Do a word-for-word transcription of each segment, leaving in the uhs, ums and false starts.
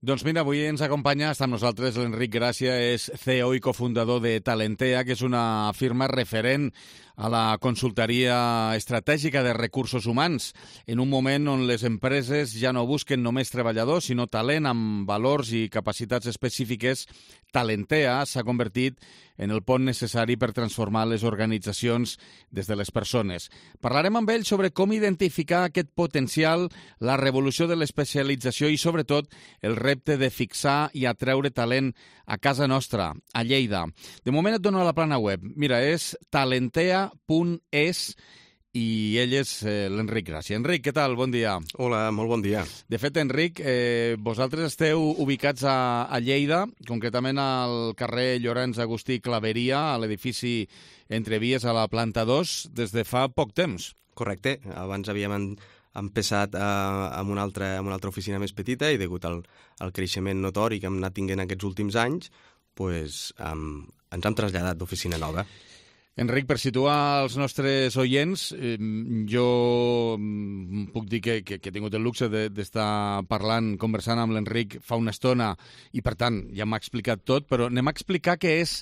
Doncs mira, avui ens acompanya, està amb nosaltres l'Enric Gràcia, és C E O i cofundador de Talentea, que és una firma referent a la consultoria estratègica de recursos humans, en un moment on les empreses ja no busquen només treballadors, sinó talent amb valors i capacitats específiques. Talentea s'ha convertit en el pont necessari per transformar les organitzacions des de les persones. Parlarem amb ell sobre com identificar aquest potencial, la revolució de l'especialització i, sobretot, el repte de fixar i atreure talent a casa nostra, a Lleida. De moment et dono la plana web. Mira, és talentea punt es i ell és eh, l'Enric Gràcia. Enric, què tal? Bon dia. Hola, molt bon dia. De fet, Enric, eh, vosaltres esteu ubicats a, a Lleida, concretament al carrer Llorenç Agustí Claveria, a l'edifici Entre Vies a la planta dos, des de fa poc temps. Correcte. Abans havíem en, empezat a, amb, una altra, amb una altra oficina més petita i degut al, al creixement notori que hem anat tinguent aquests últims anys, pues, um, ens hem traslladat d'oficina nova. Enric, per situar els nostres oients, eh, jo puc dir que, que, que he tingut el luxe d'estar parlant, conversant amb l'Enric fa una estona i, per tant, ja m'ha explicat tot, però anem a explicar què és,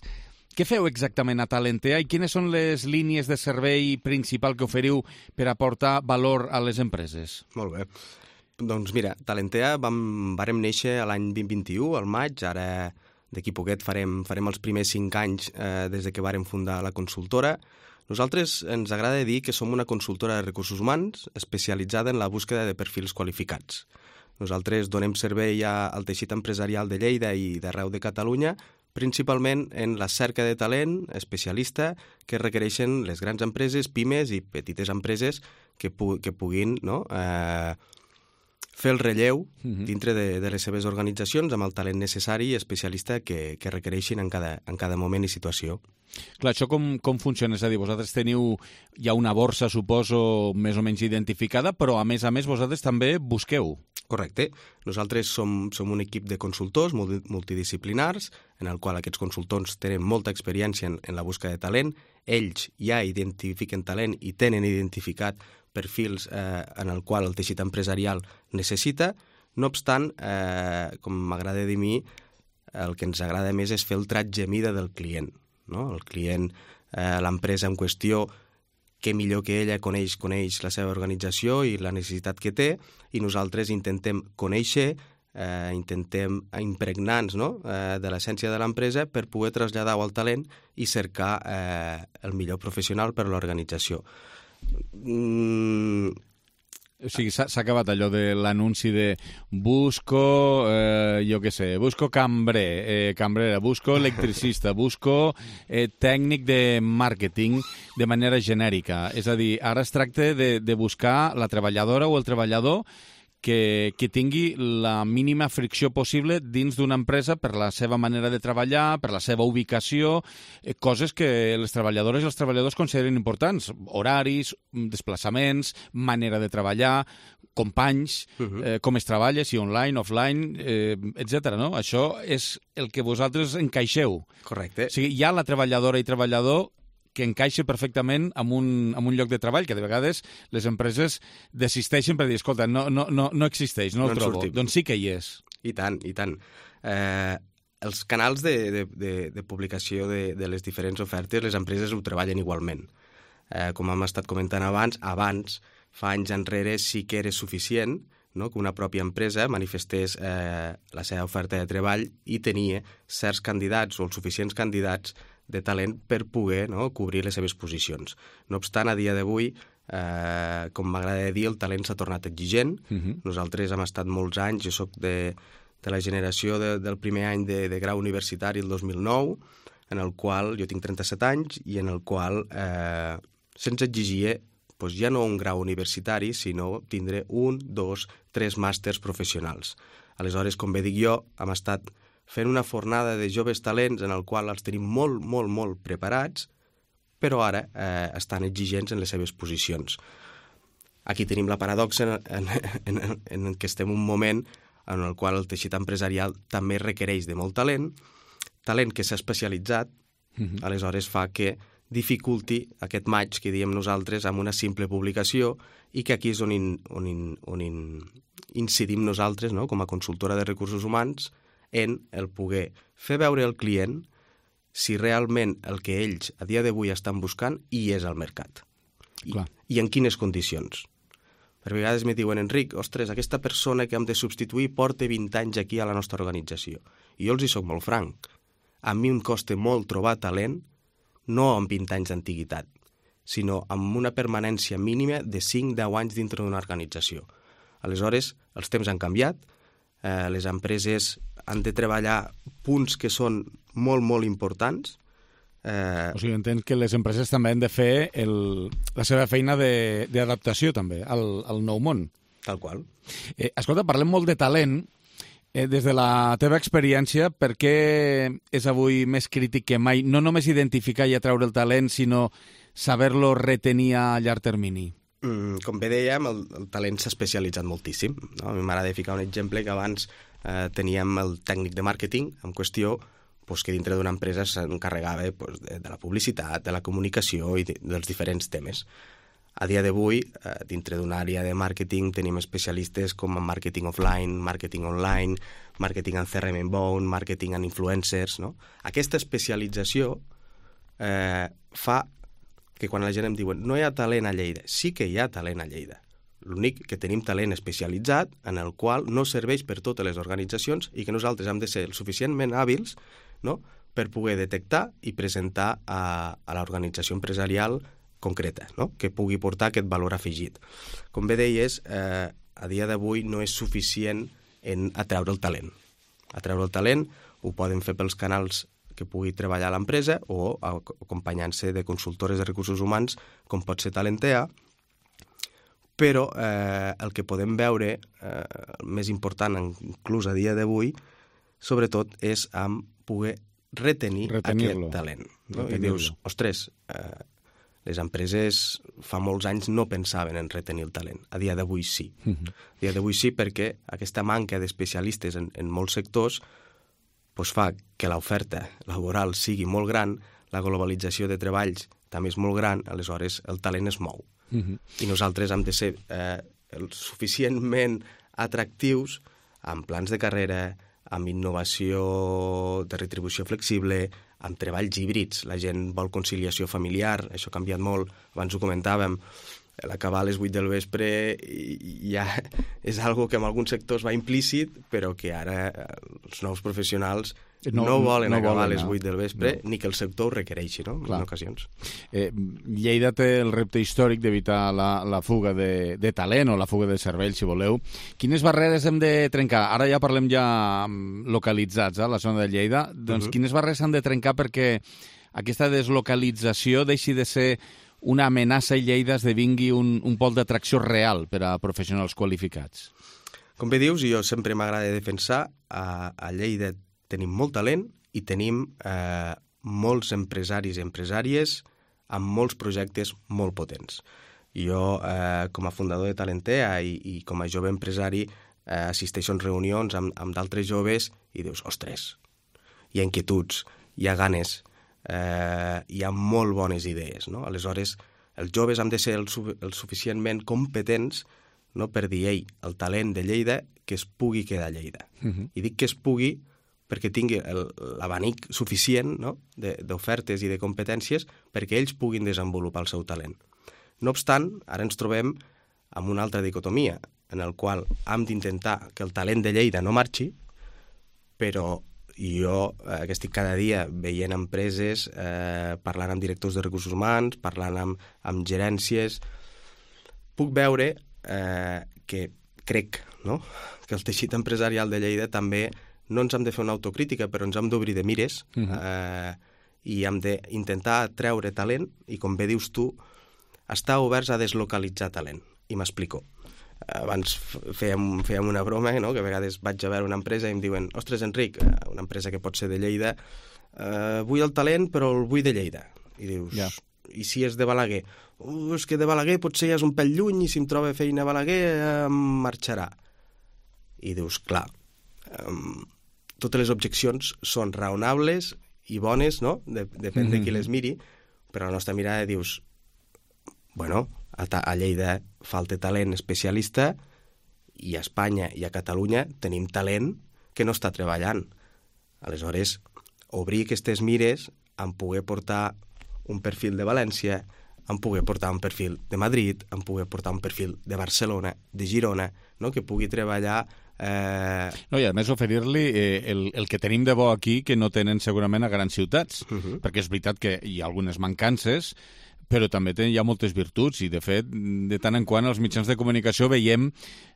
què feu exactament a Talentea i quines són les línies de servei principal que oferiu per aportar valor a les empreses. Molt bé. Doncs mira, Talentea vam, vàrem néixer l'any vint vint-i-u, al maig, ara d'aquí poquet farem, farem els primers cinc anys eh, des de que vàrem fundar la consultora. Nosaltres ens agrada dir que som una consultora de recursos humans especialitzada en la búsqueda de perfils qualificats. Nosaltres donem servei al teixit empresarial de Lleida i d'arreu de Catalunya, principalment en la cerca de talent especialista que requereixen les grans empreses, pimes i petites empreses que, pu que puguin no, eh, fer el relleu dintre de, de les seves organitzacions amb el talent necessari i especialista que, que requereixin en cada, en cada moment i situació. Clar, això com, com funciona? És a dir, vosaltres teniu ja una borsa, suposo, més o menys identificada, però a més a més vosaltres també busqueu. Correcte. Nosaltres som, som un equip de consultors multidisciplinars en el qual aquests consultors tenen molta experiència en, en la busca de talent. Ells ja identifiquen talent i tenen identificat perfils eh, en el qual el teixit empresarial necessita. No obstant, eh, com m'agrada dir a mi, el que ens agrada més és fer el tratge mida del client. No? El client, eh, l'empresa en qüestió, que millor que ella coneix, coneix la seva organització i la necessitat que té, i nosaltres intentem conèixer, eh, intentem impregnar-nos no? eh, de l'essència de l'empresa per poder traslladar-ho al talent i cercar eh, el millor professional per a l'organització. Mm. O sigui, s'ha acabat allò de l'anunci de busco, eh, jo què sé, busco cambrer, eh, cambrera, busco electricista, busco eh, tècnic de màrqueting de manera genèrica. És a dir, ara es tracta de, de buscar la treballadora o el treballador que, que tingui la mínima fricció possible dins d'una empresa per la seva manera de treballar, per la seva ubicació, eh, coses que les treballadores i els treballadors consideren importants. Horaris, desplaçaments, manera de treballar, companys, uh-huh. eh, com es treballa, si online, offline, eh, etcètera. No? Això és el que vosaltres encaixeu. Correcte. O sigui, hi ha la treballadora i treballador que encaixa perfectament en un, en un lloc de treball, que de vegades les empreses desisteixen per dir, escolta, no, no, no, no existeix, no, no el trobo. Sortim. Doncs sí que hi és. I tant, i tant. Eh, els canals de, de, de, de publicació de, de les diferents ofertes, les empreses ho treballen igualment. Eh, com hem estat comentant abans, abans, fa anys enrere, sí que era suficient no? que una pròpia empresa manifestés eh, la seva oferta de treball i tenia certs candidats o els suficients candidats de talent per poder no, cobrir les seves posicions. No obstant, a dia d'avui, eh, com m'agrada dir, el talent s'ha tornat exigent. Uh-huh. Nosaltres hem estat molts anys, jo soc de, de la generació de, del primer any de, de grau universitari, el dos mil nou, en el qual, jo tinc trenta-set anys, i en el qual eh, se'ns exigia doncs, ja no un grau universitari, sinó tindre un, dos, tres màsters professionals. Aleshores, com bé dic jo, hem estat fent una fornada de joves talents en el qual els tenim molt, molt, molt preparats, però ara eh, estan exigents en les seves posicions. Aquí tenim la paradoxa en, en, en, en què estem un moment en el qual el teixit empresarial també requereix de molt talent, talent que s'ha especialitzat, uh-huh. aleshores fa que dificulti aquest match que diem nosaltres amb una simple publicació i que aquí és on, in, on, in, on in, incidim nosaltres, no?, com a consultora de recursos humans, en el poder fer veure al client si realment el que ells a dia d'avui estan buscant hi és al mercat. I, i en quines condicions. Per vegades me diuen, Enric, ostres, aquesta persona que hem de substituir porta vint anys aquí a la nostra organització. I jo els hi soc molt franc. A mi em costa molt trobar talent, no amb vint anys d'antiguitat, sinó amb una permanència mínima de cinc a deu anys dintre d'una organització. Aleshores, els temps han canviat, eh, les empreses han de treballar punts que són molt, molt importants. Eh... O sigui, entenc que les empreses també han de fer el, la seva feina d'adaptació també al, al nou món. Tal qual. Eh, escolta, parlem molt de talent. Eh, des de la teva experiència, per què és avui més crític que mai no només identificar i atraure el talent, sinó saber-lo retenir a llarg termini? Mm, com bé dèiem, el, el talent s'ha especialitzat moltíssim. No? A mi m'agrada ficar un exemple que abans eh, teníem el tècnic de màrqueting en qüestió pues, que dintre d'una empresa s'encarregava pues, de, de la publicitat, de la comunicació i de, dels diferents temes. A dia d'avui, eh, dintre d'una àrea de màrqueting, tenim especialistes com en màrqueting offline, màrqueting online, màrqueting en C R M inbound, màrqueting en influencers, no? Aquesta especialització eh, fa que quan la gent em diuen no hi ha talent a Lleida, sí que hi ha talent a Lleida. L'únic que tenim talent especialitzat en el qual no serveix per totes les organitzacions i que nosaltres hem de ser el suficientment hàbils, no?, per poder detectar i presentar a, a l'organització empresarial concreta, no?, que pugui portar aquest valor afegit. Com bé deies, eh, a dia d'avui no és suficient en atreure el talent. Atreure el talent ho poden fer pels canals que pugui treballar l'empresa o acompanyant-se de consultores de recursos humans, com pot ser Talentea, però eh, el que podem veure, eh, el més important inclús a dia d'avui, sobretot és amb poder retenir aquest talent. No? I dius, ostres, eh, les empreses fa molts anys no pensaven en retenir el talent. A dia d'avui sí. Uh-huh. A dia d'avui sí perquè aquesta manca d'especialistes en, en molts sectors pues fa que l'oferta laboral sigui molt gran, la globalització de treballs també és molt gran, aleshores el talent es mou. Uh-huh. I nosaltres hem de ser eh, suficientment atractius amb plans de carrera, amb innovació de retribució flexible, amb treballs híbrids. La gent vol conciliació familiar, això ha canviat molt. Abans ho comentàvem, l'acabar a les vuit del vespre ja és algo que en alguns sectors va implícit, però que ara els nous professionals no, no volen no acabar volen, a les vuit del vespre, no. Ni que el sector ho requereixi, no? En ocasions. Eh, Lleida té el repte històric d'evitar la, la fuga de, de talent o la fuga de cervell, si voleu. Quines barreres hem de trencar? Ara ja parlem ja localitzats, a la zona de Lleida. Doncs uh-huh. Quines barreres han de trencar perquè aquesta deslocalització deixi de ser una amenaça i Lleida esdevingui un, un pol d'atracció real per a professionals qualificats? Com bé dius, jo sempre m'agrada defensar, a, a Lleida tenim molt talent i tenim eh, molts empresaris i empresàries amb molts projectes molt potents. Jo, eh, com a fundador de Talentea i, i com a jove empresari, eh, assisteixo a reunions amb, amb d'altres joves i dius, ostres, hi ha inquietuds, hi ha ganes, eh, hi ha molt bones idees, no? Aleshores, els joves han de ser el, el suficientment competents, no, per dir, ei, el talent de Lleida que es pugui quedar a Lleida. Uh-huh. I dic que es pugui perquè tingui l'abanic suficient, no, d'ofertes i de competències perquè ells puguin desenvolupar el seu talent. No obstant, ara ens trobem amb una altra dicotomia, en el qual hem d'intentar que el talent de Lleida no marxi, però jo, eh, que estic cada dia veient empreses, eh, parlant amb directors de recursos humans, parlant amb, amb gerències, puc veure eh, que crec, no?, que el teixit empresarial de Lleida també no ens hem de fer una autocrítica, però ens hem d'obrir de mires uh-huh. eh, i hem d'intentar treure talent i, com bé dius tu, estar oberts a deslocalitzar talent. I m'explico. Abans fèiem, fèiem una broma, no?, que a vegades vaig a veure una empresa i em diuen, ostres, Enric, una empresa que pot ser de Lleida, eh, vull el talent però el vull de Lleida. I dius, yeah. I si és de Balaguer? Uh, és que de Balaguer potser ja és un pèl lluny i si em troba feina a Balaguer em marxarà. I dius, clar, um, totes les objeccions són raonables i bones, no?, de, depèn mm-hmm. de qui les miri, però la nostra mirada dius, bueno, a, a Lleida falta talent especialista i a Espanya i a Catalunya tenim talent que no està treballant. Aleshores, obrir aquestes mires en poder portar un perfil de València, en poder portar un perfil de Madrid, en poder portar un perfil de Barcelona, de Girona, no? Que pugui treballar... Eh... No, i a més oferir-li eh, el, el que tenim de bo aquí que no tenen segurament a grans ciutats, uh-huh. perquè és veritat que hi ha algunes mancances, però també hi ha moltes virtuts i, de fet, de tant en quant als mitjans de comunicació veiem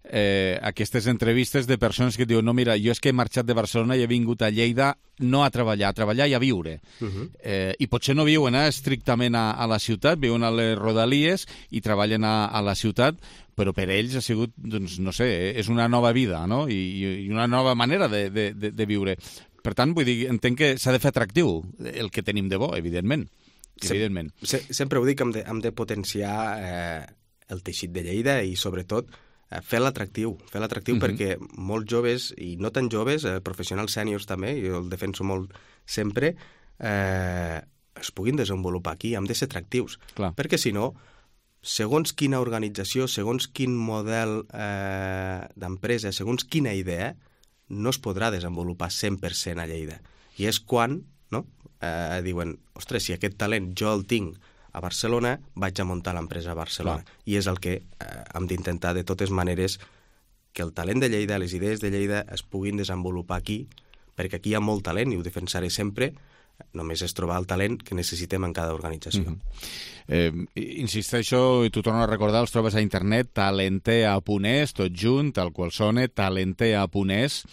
eh, aquestes entrevistes de persones que diuen no, mira, jo és que he marxat de Barcelona i he vingut a Lleida no a treballar, a treballar i a viure. Uh-huh. eh, I potser no viuen eh, estrictament a, a la ciutat, viuen a les rodalies i treballen a, a la ciutat, però per ells ha sigut, doncs, no sé, és una nova vida, no? I, i una nova manera de, de, de, de viure. Per tant, vull dir, entenc que s'ha de fer atractiu el que tenim de bo, evidentment. Evidentment. Se, sempre ho dic, hem de, hem de potenciar eh, el teixit de Lleida i, sobretot, eh, fer l'atractiu. Fer l'atractiu uh-huh. perquè molts joves, i no tan joves, eh, professionals sèniors també, jo el defenso molt sempre, eh, es puguin desenvolupar aquí. Hem de ser atractius. Clar. Perquè, si no, segons quina organització, segons quin model eh, d'empresa, segons quina idea, no es podrà desenvolupar cent per cent a Lleida. I és quan... no? Eh, diuen, ostres, si aquest talent jo el tinc a Barcelona, vaig a muntar l'empresa a Barcelona. Clar. I és el que eh, hem d'intentar de totes maneres que el talent de Lleida, les idees de Lleida es puguin desenvolupar aquí, perquè aquí hi ha molt talent i ho defensaré sempre, només és trobar el talent que necessitem en cada organització. Mm-hmm. eh, insisteixo, i t'ho torno a recordar, els trobes a internet, talentea punt es, tot junt, tal qual sona, talentea punt es.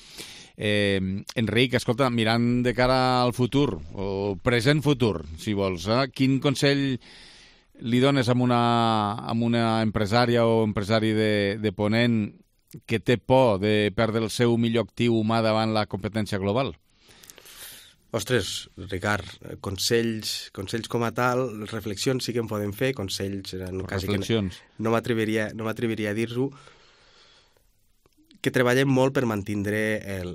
Eh, Enric, escolta, mirant de cara al futur, o present futur, si vols, eh? Quin consell li dones a una, a una empresària o empresari de, de Ponent que té por de perdre el seu millor actiu humà davant la competència global? Ostres, Ricard, consells, consells com a tal, reflexions sí que en podem fer, consells... En reflexions. Que no m'atreviria no m'atreviria a dir-ho, que treballem molt per mantindre, el,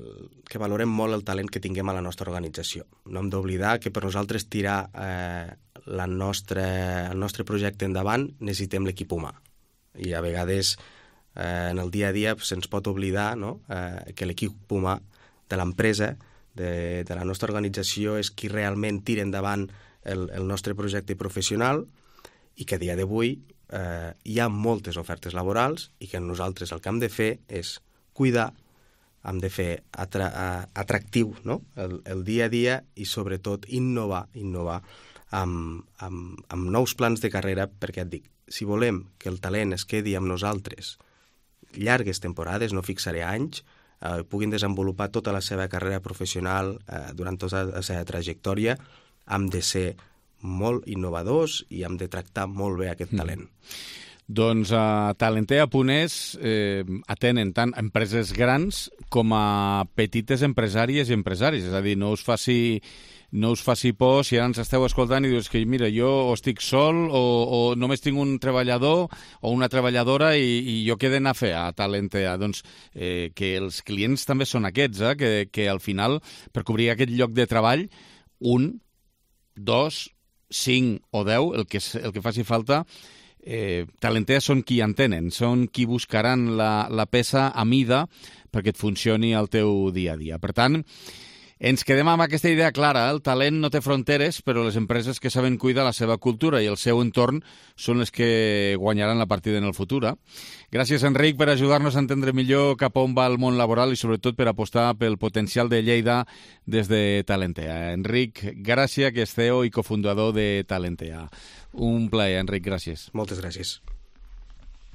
que valorem molt el talent que tinguem a la nostra organització. No hem d'oblidar que per nosaltres tirar eh, la nostra, el nostre projecte endavant necessitem l'equip humà. I a vegades eh, en el dia a dia se'ns pot oblidar, no? eh, que l'equip humà de l'empresa, de, de la nostra organització, és qui realment tira endavant el, el nostre projecte professional i que a dia d'avui eh, hi ha moltes ofertes laborals i que nosaltres el que hem de fer és cuidar, hem de fer atra atractiu, no? el, el dia a dia i, sobretot, innovar, innovar amb, amb, amb nous plans de carrera, perquè et dic, si volem que el talent es quedi amb nosaltres llargues temporades, no fixaré anys, eh, puguin desenvolupar tota la seva carrera professional eh, durant tota la seva trajectòria, hem de ser molt innovadors i hem de tractar molt bé aquest talent. Mm. Doncs a talentea punt es eh, atenen tant empreses grans com a petites empresàries i empresaris. És a dir, no us faci, no us faci por si ara ens esteu escoltant i dius que mira, jo o estic sol o, o només tinc un treballador o una treballadora i, i jo què he d'anar a fer a Talentea. Doncs eh, que els clients també són aquests, eh, que, que al final, per cobrir aquest lloc de treball, un, dos, cinc o deu, el que, el que faci falta, Eh, Talentea són qui entenen, són qui buscaran la, la peça a mida perquè et funcioni el teu dia a dia. Per tant, ens quedem amb aquesta idea clara. El talent no té fronteres, però les empreses que saben cuidar la seva cultura i el seu entorn són les que guanyaran la partida en el futur. Eh? Gràcies, Enric, per ajudar-nos a entendre millor cap a on va el món laboral i sobretot per apostar pel potencial de Lleida des de Talentea. Enric Gràcia, que és C E O i cofundador de Talentea. Un plaer, Enric, gràcies. Moltes gràcies.